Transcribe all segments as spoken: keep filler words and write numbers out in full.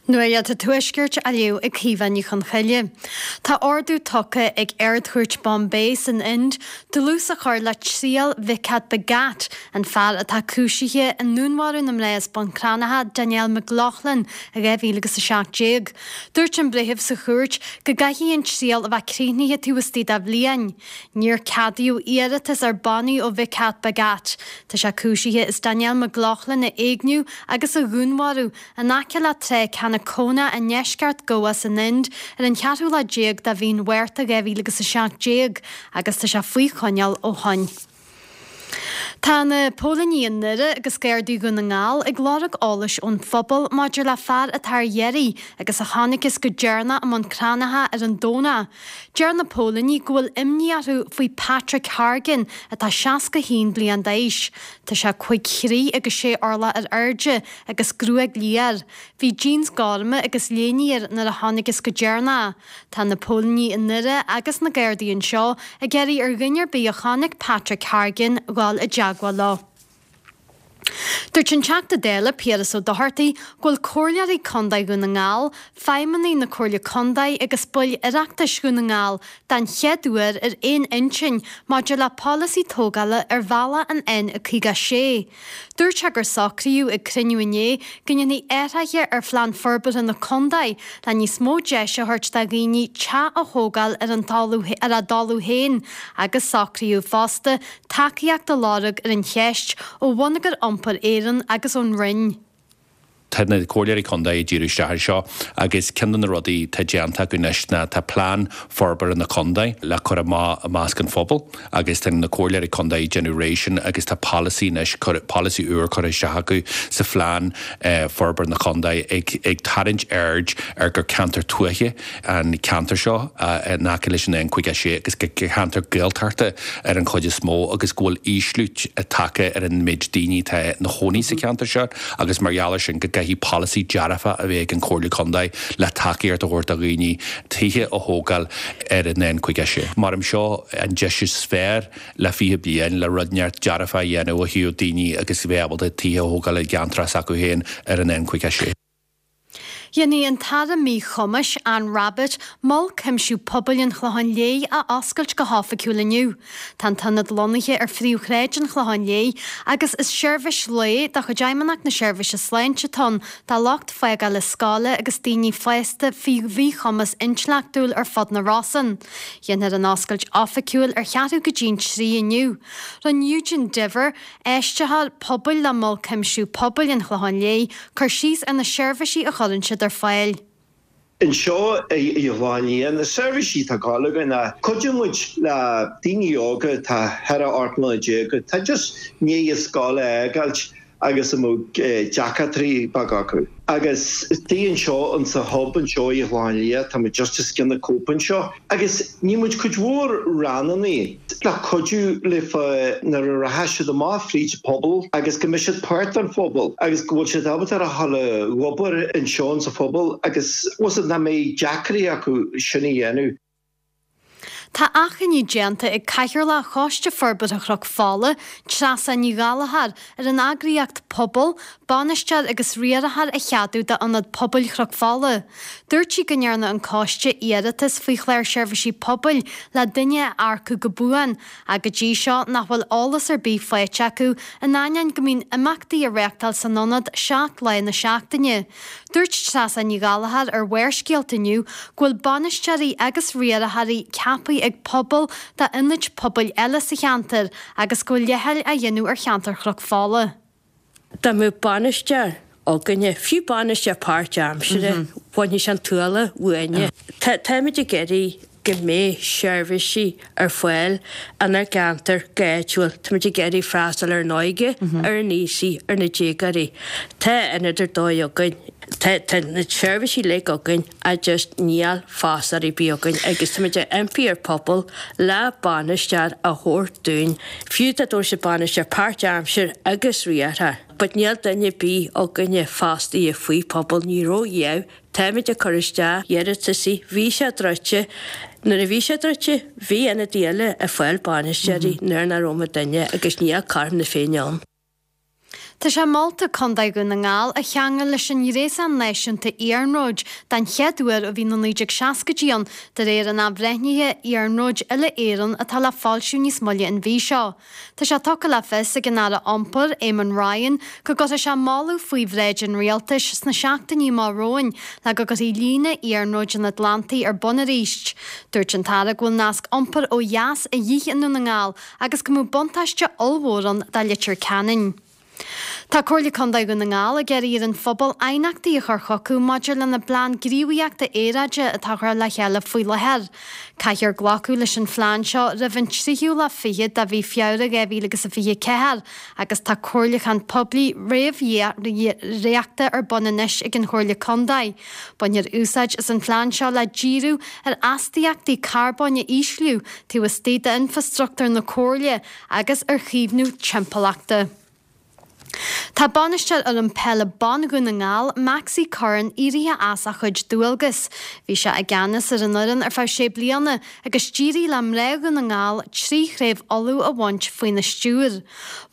Nuacht an Tuaiscirt á léamh ag Caoimhe Ní Chonchoille. Tá ordú tugtha ag Ard-Chúirt Bombay san Ind dlús a chur le triail Vikas Bhagat, an fear atá cúisithe i ndúnmharú na mná as Bun Cranncha Danielle McLaughlin i dhá mhíle agus a seacht déag. Dúirt an breitheamh sa chúirt go gcaithfidh an triail a bheith críochnaithe taobh istigh de bhliain. Níor ceadaíodh iarratas ar bannaí ó Vikas Bhagat. Tá sé cúisithe as Danielle McLaughlin a éigniú agus a dhúnmharú in aice le trá Canacona i ndeisceart Goa san Ind ar an cheathrú lá déag de mhí an Mhárta dhá mhíle agus a seacht déag agus tá sé faoi choinneáil ó shin. Tá na póilíní i nDoire agus Gardaí Dhún na nGall ag lorg eolais ón phobal maidir le fear atá ar iarraidh agus a chonacthas go deireanach i mBun Cranncha ar an Domhnach. Deir na póilíní go bhfuil imní orthu faoi Patrick Hargan atá seasca haon bliain d'aois. Tá sé cúig throigh agus sé orlach ar airde agus gruaig liath air. Bhí jeans gorma agus léine air nuair a chonacthas go deireanach. Tá na póilíní i nDoire agus na Gardaí anseo ag iarraidh ar dhuine ar bith a chonaic Patrick Hargan dhul i dteagmháil leo. Dúirt an Teachta Dála Piaras Ó Dochartaigh go bhfuil Comhairleoirí Contae Dhún na nGall, feidhmeannaigh na Comhairle Contae agus baill Oireachtais Dhún na nGall den chéad uair ar aon intinn maidir le polasaí tógála ar bhealach an N caoga sé. Dúirt sé gur socraíodh ag cruinniú inné go ndéanfaí athruithe ar phlean forbartha na contae le níos mó deis a thabhairt do dhaoine teach a thógáil ar an talamh ar a dtalamh féin agus socraíodh fosta tacaíocht a lorg ar an cheist ó Bhonneagar Iompair Éireann agus ón Roinn. Tá na comhairleoirí contae ag díriú isteach ar seo agus ceann de na rudaí tá déanta acu anois ná tá plean forbartha na contae le cur amach i measc an phobail agus tá na comhairleoirí contae ag déanamh réidh sin agus tá polasaí anois polasaí úr curtha isteach acu sa phlean forbartha na contae ag ag tarraingt aird ar gur ceantar tuaithe an ceantar seo in aice leis an N caoga sé agus gur ceantar Gaeltachta ar an chuid is mó agus go bhfuil ísliú tagtha ar an méid daoine atá ina chónaí sa cheantar seo agus mar gheall air sin go gcaithfidh polasaí dearfa a bheith ag an Chomhairle Contae le tacaíocht a thabhairt do dhaoine tithe a thógáil ar an N caoga sé. Mar am seo an deis is fearr le fiche bliain le rud neart dearfa a dhéanamh ó thaobh daoine agus bheith ábalta tithe a thógáil i gceantar s'acu féin ar an N caoga sé. Déanfaidh an tAire Míchumais Anne Rabbitte Mol Cuimsiú Pobail an Chlocháin Léith a oscailt go hoifigiúil inniu. Tá an t-ionad lonnaithe ar phríomhshráid an Chlocháin Léith agus is seirbhís lae de chuid Fheidhmeannacht na Seirbhíse Sláinte atá ann do lucht fágála scoile agus daoine fásta faoi mhíchumas intleachtúil ar fud na Rosann. Déanfar an oscailt oifigiúil ar cheathrú go dtí an trí inniu. Rinne Eugene Diver, áisitheoir pobail le Mol Cuimsiú Pobail an Chlocháin Léith, cur síos ar na seirbhísí a chuireann siad ar fáil. Anseo i gClochán Liath, na seirbhísí atá ag gabháil againn ná cuideoidh muid le daoine óga atá ceithre ocht mbliana déag atá just i ndiaidh scoil a fhágáilt agus a mbeadh deacrachtaí beaga acu. Agus istigh anseo in sa hub anseo i gClochán Liath, tá muid just os cionn na Coop anseo. Agus níl muid cuid mhór rannanna le cuidiú leofa nuair a rachaidh siad amach fríd an phobal agus go mbeidh siad páirt den phobal agus go bhfuil siad ábalta a dhul ag obair anseo sa phobal agus bhfuil nach mbeidh deacrachtaí acu sin a dhéanamh. Tá achainí déanta ag Cathaoirleach Choiste Forbartha Chnoc Fola, Treasa Ní Ghallchóir, ar an eagraíocht Pobal, bainisteoir agus riarthóir a cheadú d'Ionad Pobail Chnoc Fola. Dúirt sí go ndearna an coiste iarratas faoi chlár seirbhísí pobail le duine a earcú go buan, ach go dtí seo nach bhfuil eolas ar bith faighte acu in ainneoin go mbíonn imeachtaí á reáchtáil san ionad seacht lá na seachtaine. Dúirt Treasa Ní Ghallchóir ar Bharrscéalta inniu go bhfuil bainisteoirí agus riarthóirí ceaptha ag Pobal d'ionaid pobail eile sa cheantar agus go bhfuil leithcheal á dhéanamh ar cheantar Chnoc Fola. Dá mbeadh bainisteoir againne, fiú bainisteoir páirtaimseartha, bhainfeadh sé an t-ualach uainne. Táimid ag iarraidh go mbeidh seirbhísí ar fáil inár gceantar go háitiúil. Táimid ag iarraidh freastal ar an óige, ar an aosaigh, ar na déagóirí. Tá ionad ar dóigh againn. Tá tá na seirbhísí uilig againn ach just níl fostóir ar bith againn agus táimid ag impí ar Pobal le bainisteoir a thabhairt dúinn. Fiú dá dtabharfadh siad bainisteoir páirtaimseartha agus riarthóir. But níl duine ar bith againne fostaithe faoi Pobal, ní raibh Táimid ag cur isteach iarrataisí, bhí sé druidte, nuair a bhí sé druidte, bhí ionadaí eile ag fáil bainisteoirí nuair nach raibh muidinne agus níl cothrom na Féinne ann. Tá sé molta Contae Dhún na nGall a cheangal leis an ngréasán náisiúnta iarnróid den chéad uair ó bhí na naoi déag seascaidí ann, de réir an athbhreithnithe iarnróid uile-Éireann atá le foilsiú níos moille an mhí seo. Tá sé tugtha le fios ag an Aire Iompair, Eamon Ryan, go gcuirfidh sé moladh faoi bhráid an Rialtais sna seachtainí amach romhainn le go gcuirfí líne iarnróid an Atlantaigh ar bun arís. Dúirt an tAire go bhfuil nasc iompair ó dheas a dhíth i nDún na nGall agus go mbeadh buntáiste ollmhór ann do Leitir Ceanainn. Tá Comhairle Contae Dhún na nGall ag iarraidh ar an phobal aighneachtaí a chur chucu maidir lena bplean gníomhaíochta aeráide atá á chur le chéile faoi láthair. Caithfear glacadh leis an phlean seo roimh an tríú lá fichead de mhí Feabhra dhá mhíle agus a fiche ceathair agus tá comhairliúchán poiblí réamh-dhréachta ar bun anois ag an Chomhairle Contae. Bainfear úsáid as an phlean seo le díriú ar astaíochtaí carbóin a ísliú taobh istigh d'infreastruchtúr na Comhairle agus ar chaomhnú timpeallachta. Tá bainisteoir fhoireann peile ban Dhún na nGall, Maxi Curran, éirithe as a chuid dualgas. Bhí sé i gceannas ar an fhoireann ar feadh sé bliana agus d'éirigh le mná Dhún na nGall trí chraobh Uladh a bhaint faoina stiúir.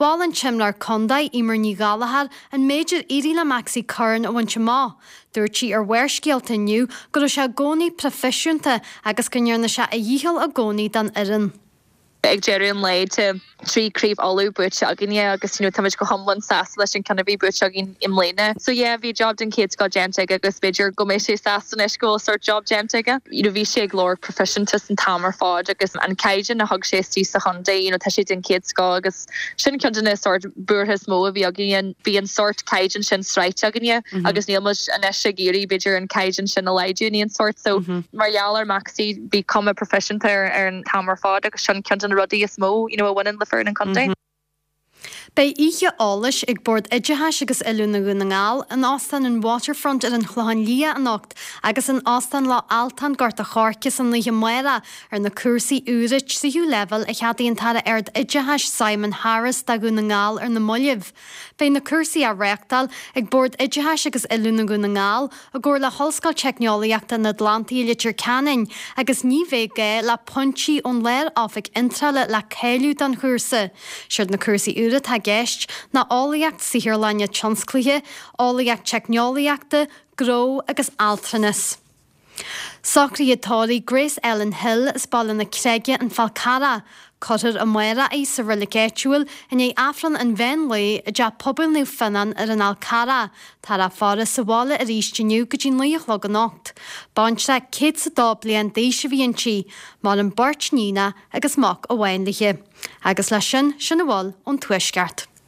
Mhol an t-imreoir contae, Eimear Ní Ghallchóir, an méid ar éirigh le Maxi Curran a bhaint amach. Dúirt sí ar Bharrscéalta inniu go raibh sé i gcónaí proifisiúnta agus go ndearna sé a dhícheall i gcónaí don fhoireann. Ag deireadh an lae tá trí craobh Uladh buaite againne agus you know táimid go hiomlán sásta leis an ceann a bhí buaite againn i mbliana. So yeah bhí job den chéad scoth déanta aige agus b'fhéidir go mbeidh sé sásta anois go bhfuil sort job déanta aige. You know bhí sé ag lorg proifisiúntas an t-am ar fad agus an caighdeán a thug sé istigh sa chontae you know tá sé den chéad scoth agus sin ceann de na sort buartha is mó a bhí againne bhí an sort caighdeán sin sroichte againne agus níl muid anois ag iarraidh b'fhéidir an caighdeán sin a laghdú in aon sort so mar gheall ar Maxi bhí cuma proifisiúnta ar ar an t-am ar fad agus sin ceann de na rudaí is mó you know a bhaineann le foireann an chontae. Beidh oíche eolais ag Bord Oideachais agus Oiliúna Dhún na nGall in Óstán an Waterfront ar an Chlochán Liath anocht agus in Óstán Loch Altáin Gort a' Choirce san oíche amárach ar na cúrsaí úra tríú leibhéal a cheadaigh an tAire Ard-Oideachais Simon Harris do Dhún na nGall ar na mallaibh. Beidh na cúrsaí á reáchtáil ag Bord Oideachais agus Oiliúna Dhún na nGall i gcomhar le hOllscoil Teicneolaíochta an Atlantaigh i Leitir Ceanainn agus ní bheidh gá le pointí ón Lár-Oifig Iontrála le cáiliú don chúrsa. Siad na cúrsaí úra atá i gceist ná Eolaíocht Saotharlainne Tionsclaíche, Eolaíocht Teicneolaíochta, Gnó agus Altranas. Socruithe tórraimh Grace Ellen Hill as Baile na Creige, An Fál Carrach. Cuirfear amárach í sa reilig áitiúil i ndiaidh Aifreann an mheán lae i dTeach Pobail Naomh Fionnán ar an Fhál Carrach. Táthar á faire sa bhaile arís inniu go dtí naoi a chlog anocht. Baintreach céad 's a dó bliain d'aois a bhí inti. Maireann beirt níonacha agus mac amháin léi. Agus leis sin, sin a bhfuil ón Tuaisceart.